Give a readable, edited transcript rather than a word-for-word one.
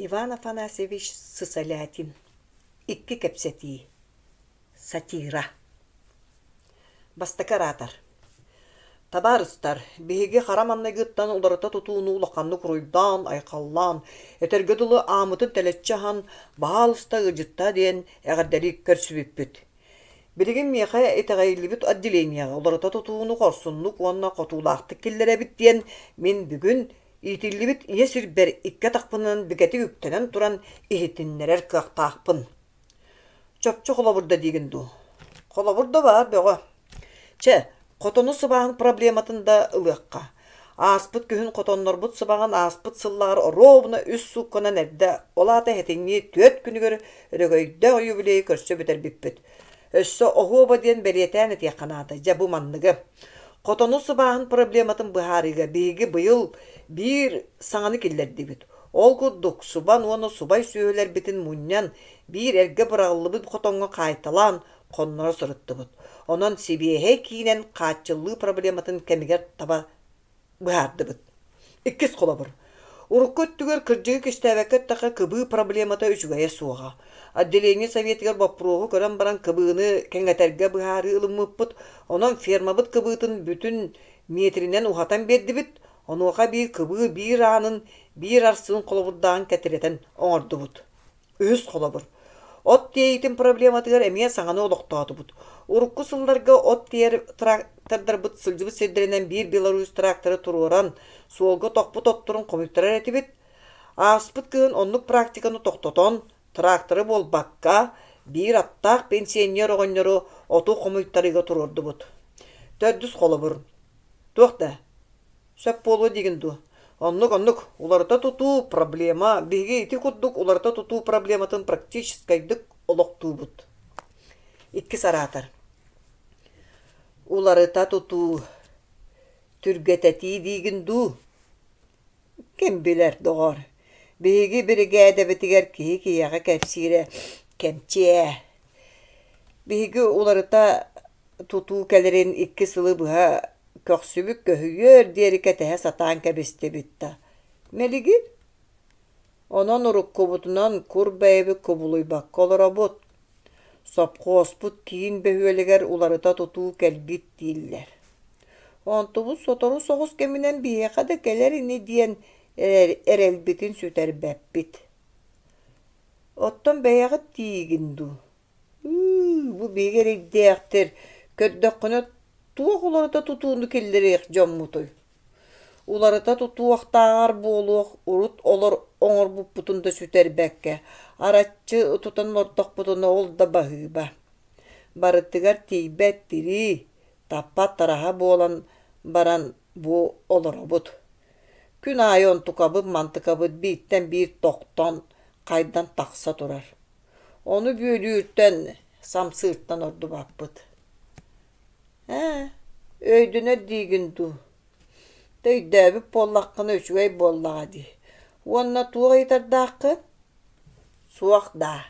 Иван Афанасьевич Сысолятин Икки кэпсэтии Сатира Бастакы оратор Табаарыстар, биһиги хара маҥнайгыттан уларыта тутууну улаханнык уруйдаан, айхаллаан, этэргэ дылы ааммытын тэлэччи аһан, баһаалыста ыалдьыттаа диэн эҕэрдэлии көрсүбүппүт. Билигин миэхэ итэҕэйиллибит отделениеҕа уларыта тутууну хорсуннук уонна хотуулаахтык киллэрэбит диэн мин бүгүн иитиллибит ийэ сирбэр икки атахпынан бигэтик үктэнэн туран иһитиннэрэр кыахтаахпын. Чопчу холобур да диигин дуу? Холобур да баар бөҕө. Чэ, хотону сыбааһын проблематын да ылыахха. Ааспыт күһүн хотоннорбут сыбаҕын ааспыт сыллааҕар оруобуна үс суукканан эрдэ, ол аата сэтинньи түөрт күнүгэр өрөгөйдөөх юбилейы көрсө бүтэрбиппит. Өссө оһуоба диэн бэлиэтээн этиэххэ наада, дьэ бу манныгы. Хотону сыбааһын проблематын быһаарыыга биһиги быйыл биир саҥаны киллэрдибит. Ол курдук, субан уонна субай сүөһүлэрбитин мунньан, биир эргэ быраҕыллыбыт хотоҥҥо хаайталаан, хонноро сырыттыбыт. Онон сибиэһэй киинэн хааччыллыы проблематын кэмигэр таба быһаардыбыт. Иккис холобур. Урукку өттүгэр кырдьыгы кистээбэккэ эттэххэ, кыбыы проблемата үчүгэйэ суоҕа. Отделение советыгар боппуруоһу көрөн баран кыбыыны кэҥэтэргэ быһаарыы ылыммыппыт. Онон фермабыт кыбыытын бүтүн миэтиринэн уһатан биэрдибит. Онуоха биир кыбыы биир аанын, биир арсыын холобурдааҕын кэтирэтэн оҥордубут. Үһүс холобур. От тиэйиитин проблематыгар эмиэ саҥаны олохтоотубут. Урукку сылларга от тиэр трактордарбыт сылдьыбыт сирдэринэн биир Беларусь тракторы туруоран, суолга тохпут отторун хомуйтарар этибит. Ааспыт кыһын оннук практиканы тохтотон, тракторы буолбакка, биир аттаах пенсионер оҕонньору оту хомуйтарыыга туруордубут. Төрдүс холобур. Туох да, Сөп буолуо диигин дуо? Оннук-оннук, уларыта тутуу проблема, биһиги ити курдук уларыта тутуу проблематын практическайдык олохтуубут. Иккис араатар. Уларыта тутуу түргэтэтии диигин дуу? Ким билэр, доҕоор, биһиги биригээдэбитигэр киһи киһиэхэ кэпсиирэ кэмчи ээ. Биһиги уларыта тутуу кэлэрин икки сылы быһа Көхсүбүт көһүйүөр диэри кэтэһэ сатаан кэбистибит да, мэлигир. Онон уруккубутунан кур бэйэбит кубулуйбакка олоробут. Сопхуоспут киин бөһүөлэгэр уларыта тутуу кэлбит дииллэр. Онтубут сотору соҕус кэминэн биһиэхэ да кэлэр ини диэн эрэлбитин сүтэрбэппит. Оттон бэйэҕит тиийигин дуу? Ыы, бу биһиги эрэйдээхтэр, көрдөххүнэ туох уларыта тутууну киллэриэх дьоммутуй? Уларыта тутуохтааҕар буолуох урут олор оҥорбуппутун да сүтэрбэккэ, араччы тутан олордохпутуна ол да баһыыба. Барытыгар тиийбэт тирии, таппат тараһа буолан баран бу олоробут. Күн аайы онтукабыт-мантыкабыт бииртэн биир тохтон, хайдан тахса турар. Ону бүөлүүртэн, самсыыртан ордубаппыт. Ээ, өйдөнөр диигин дуу? Өйдөөбүт буоллаххына үчүгэй буоллаҕа дии. Уонна туох ыйытардааххын? Суох даа.